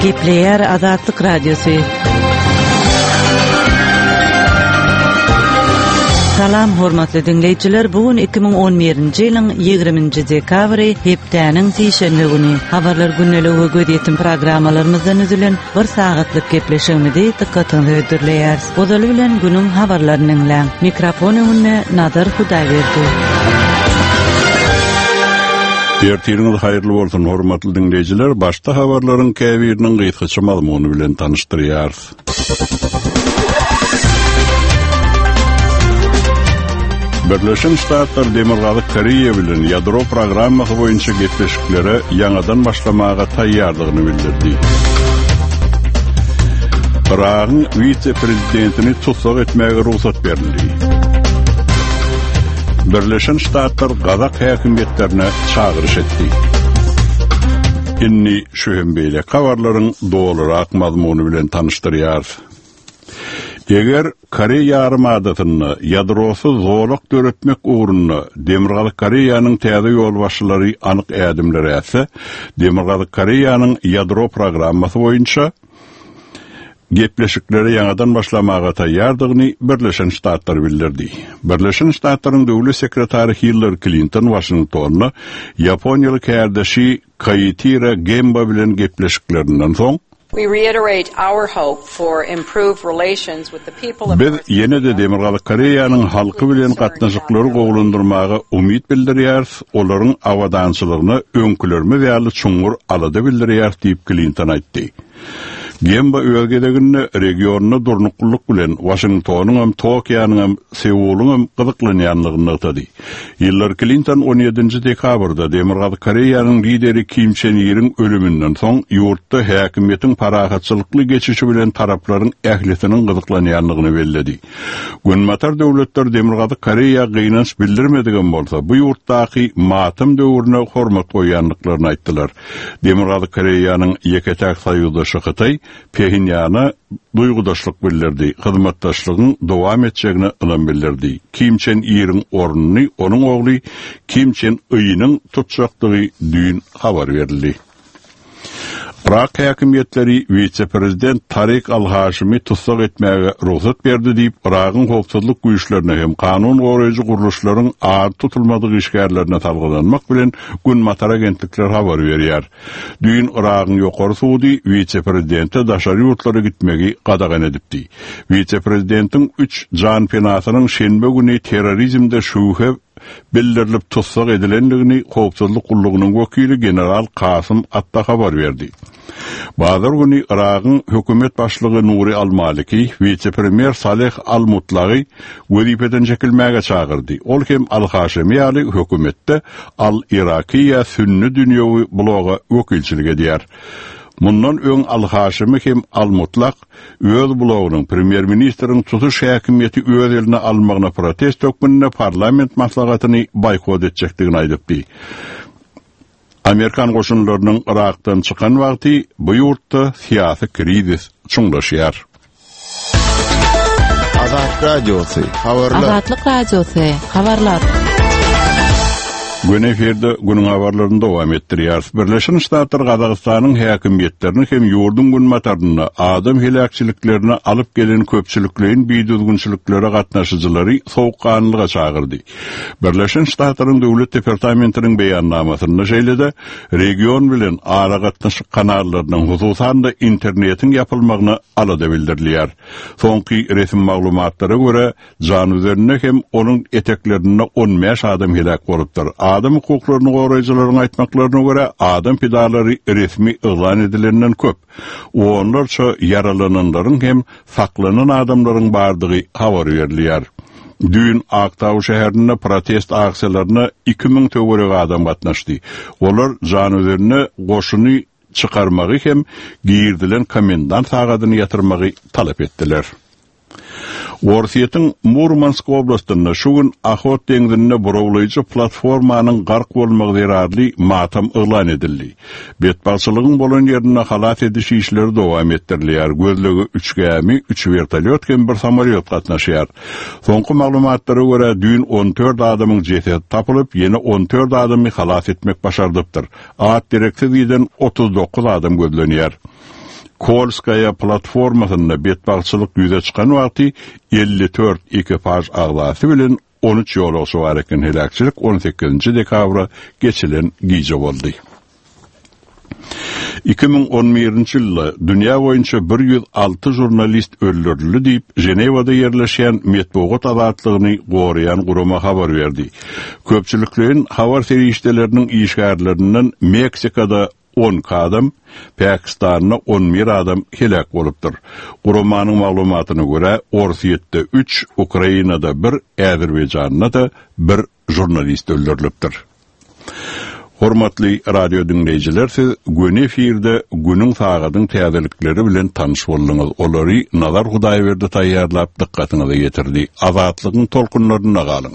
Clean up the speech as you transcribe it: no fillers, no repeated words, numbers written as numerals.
Gepleýär Azatlyk Radiosy. Salam hormatly diňleýjiler, bu gün 2011-nji ýylyň 20-nji dekabry, hepdäniň sişenbe güni. Habarlar gündeligi we gözýetim programmalarymyzdan düzülen bir sagatlyk gepleşigimizi dykgatyňyza hödürleýäris. Ozaly bilen günüň habarlaryny diňläň. Mikrofon öňünde Nazar Hudaýberdi. Ertiriňiz haýyrly bolsun, hormatly diňleýjiler! Başda habarlaryň käbiriniň gysgaça mazmuny bilen tanyşdyrýarys. Birleşen Ştatlar Demirgazyk Koreýa bilen ýadro programmasy boýunça gepleşiklere ýaňadan başlamaga taýýardygyny bildirdi. Yragyň wise-prezidentini tussag etmäge rugsat berildi. Birleşen Ştatlar gazak häkimiýetlerine çagyryş etdi. Indi şu hem beýleki habarlaryň dolurak mazmuny bilen tanyşdyrýarys. Eger Koreý ýarym adasynda ýadrosyz zolak döretmek ugrunda Demirgazyk Koreýanyň täze ýolbaşçylary anyk ädimler ätse, Demirgazyk Koreýanyň ýadro programmasy boýunça gepleşiklere ýaňadan başlamaga taýýardygyny Birleşen Ştatlar bildirdi. Birleşen Ştatlaryň döwlet sekretary Hillari Klinton Waşingtonda ýaponiýaly kärdeşi Kaitira Gemba bilen gepleşiklerinden soň, Biz ýene-de Demirgazyk Koreýanyň halky bilen gatnaşyklary gowulandyrmaga umyt bildirýäris, olaryň abadançylygyna öňkülerimiz ýaly çuňňur alada bildirýäris diýip, Klinton aýtdy. Gemba öz gezeginde regionda durnuklylyk bilen Waşingtonyňam, Tokionyňam, Seulyňam gyzyklanýandygyny nygtady. Hillari Klinton on ýedinji dekabrda Demirgazyk Koreýanyň lideri Kim Çen Iriň ölüminden soň ýurtda häkimiýetiň parahatçylykly geçişi bilen taraplaryň ählisiniň gyzyklanýandygyny belledi. Günbatar döwletler Demirgazyk Koreýa gynanç bildirmedigem bolsa, bu ýurtdaky matam döwrüne hormat goýýandyklaryny aýtdylar. Demirgazyk Koreýanyň ýeke-täk soýuzdaşy Hytaý Phenýana duýgudaşlyk bildirdi, hyzmatdaşlygyň dowam etjegine ynam bildirdi. Kim Çen Iriň ornuny onuň ogly Kim Çen Ynyň tutjakdygy düýn habar berildi. Yrak häkimiýetleri wise-prezident Tarik al-Haşimi tussag etmäge rugsat berdi diýip, Yragyň howpsuzlyk güýçlerine hem kanun goraýjy gurluşlaryň ady tutulmadyk işgärlerine salgylanmak bilen Günbatar agentlikleri habar berýär. Düýn Yragyň ýokary sudy wise-prezidente daşary ýurtlara gitmegi gadagan edipdi. Wise-prezidentiň üç janpenasynyň şenbe güni terrorizmde şübhe bildirilip tussag edilendigini howpsuzlyk gullugynyň wekili general Kasym Atta habar berdi. Bazar güni Yragyň hökümet başlygy Nuri al-Maliki wise-premýer Saleh al-Mutlagy wezipeden çekilmäge çagyrdy. Ol hem al-Haşemi ýaly hökümetde al-Irakiýa sünni dünýewi bloga wekilçilik edýär. Mundan öň al-Haşemi hem al-Mutlak öz blogynyň premýer-ministriň tutuş häkimiýeti öz eline almagyna protest hökmünde parlament maslahatyny boýkot etjekdigini aýdypdy. Amerikan goşunlarynyň Yrakdan çykan wagty bu ýurtda syýasy krizis çuňlaşýar. Azat Radiosy, habarlar. Azatlyk Radiosy, habarlar. Göni efirde günüň habarlaryny dowam etdirýäris. Birleşen Ştatlar Gazagystanyň häkimiýetlerini hem ýurduň günbatarynda adam heläkçiliklerine alyp gelen köpçülikleýin bidüzgünçiliklere gatnaşyjylary sowukganlyga çagyrdy. Birleşen Ştatlaryň Döwlet departamentiniň beýannamasynda şeýle-de region bilen aragatnaşyk kanallarynyň, hususan-da internetiň ýapylmagyna alada bildirilýär. Soňky resmi maglumatlara görä, Januzende hem onuň eteklerinde 15 adam heläk bolupdyr. Adam hukuklaryny goraýjylaryň aýtmaklaryna görä, adam pidalary resmi yglan edilenden köp. Onlarça ýaralananlaryň hem saklanan adamlaryň bardygy habar berilýär. Düýn Aktau şäherinde protest aksiýalaryna 2000 töweregi adam gatnaşdy. Olar Janözende goşuny çykarmagy hem girizilen komendant sagadyny ýatyrmagy talap etdiler. Orsýetiň Murmansk oblastynda şu gün Ohot deňzinde burawlaýjy platformanyň gark bolmagy zerarly matam yglan edildi. Betbagtçylygyň bolan ýerinde halas ediş işleri dowam etdirilýär, gözlege üç gämi, üç wertolýot hem bir samolýot gatnaşýar. Soňky maglumatlara görä, düýn 14 adamyň jesedi tapylyp, ýene 14 adamy halas etmek başardypdyr. At-dereksiz giden 39 adam gözlenýär. Kolskaýa platformasynda betbagtçylyk ýüze çykan wagty 54 ekipaž agzasy bilen 13 ýolagçy bar eken. Heläkçilik 18-nji dekabra geçilen gije boldy. 2011-nji ýylda dünýä boýunça 106 žurnalist öldürildi diýip, Ženewada ýerleşýän metbugat azatlygyny goraýan gurama habar berdi. Köpçülikleýin habar serişdeleriniň işgärlerinden Meksikada 12 adam, Pakistanda 11 adam heläk bolupdyr. Guramanyň maglumatyna görä, Orsýetde üç, Ukrainada bir, Azerbaýjanda-da bir žurnalist öldürilipdir. Hormatly radio diňleýjiler siz göni efirde günüň sagadyň täzelikleri bilen tanyş bolduňyz. Olary Nazar Hudaýberdi taýýarlap dykgatyňyza ýetirdi. Azatlygyň tolkunlarynda galyň.